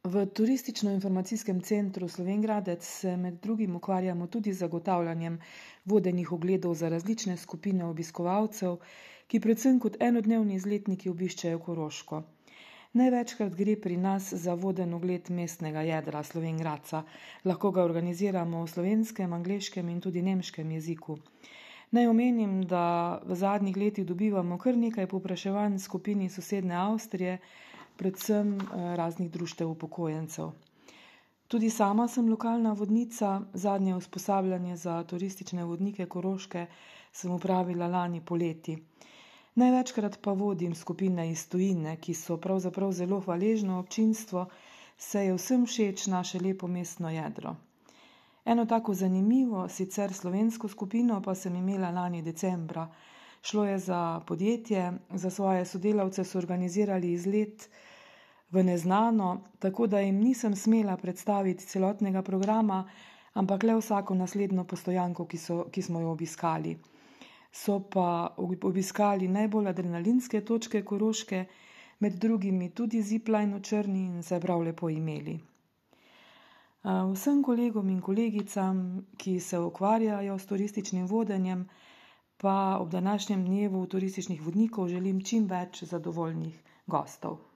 V Turistično-informacijskem centru Slovenj Gradec se med drugim ukvarjamo tudi z zagotavljanjem vodenih ogledov za različne skupine obiskovalcev, ki predvsem kot enodnevni izletniki obiščejo Koroško. Največkrat gre pri nas za voden ogled mestnega jedra Slovenj Gradca. Lahko ga organiziramo v slovenskem, angleškem in tudi nemškem jeziku. Naj omenim, da v zadnjih letih dobivamo kar nekaj povpraševanj skupini sosednje Avstrije, predvsem raznih društev upokojencev. Tudi sama sem lokalna vodnica, zadnje usposabljanje za turistične vodnike Koroške sem opravila lani poleti. Največkrat pa vodim skupine iz tujine, ki so pravzaprav zelo hvaležno občinstvo, saj je vsem všeč naše lepo mestno jedro. Eno tako zanimivo, sicer slovensko skupino pa sem imela lani decembra. Šlo je za podjetje, za svoje sodelavce so organizirali izlet v neznano, tako da jim nisem smela predstaviti celotnega programa, ampak le vsako naslednjo postojanko, ki smo jo obiskali. So pa obiskali najbolj adrenalinske točke Koroške, med drugimi tudi zipline v Črni in se prav lepo imeli. Vsem kolegom in kolegicam, ki se ukvarjajo s turističnim vodenjem, pa ob današnjem dnevu turističnih vodnikov želim čim več zadovoljnih gostov.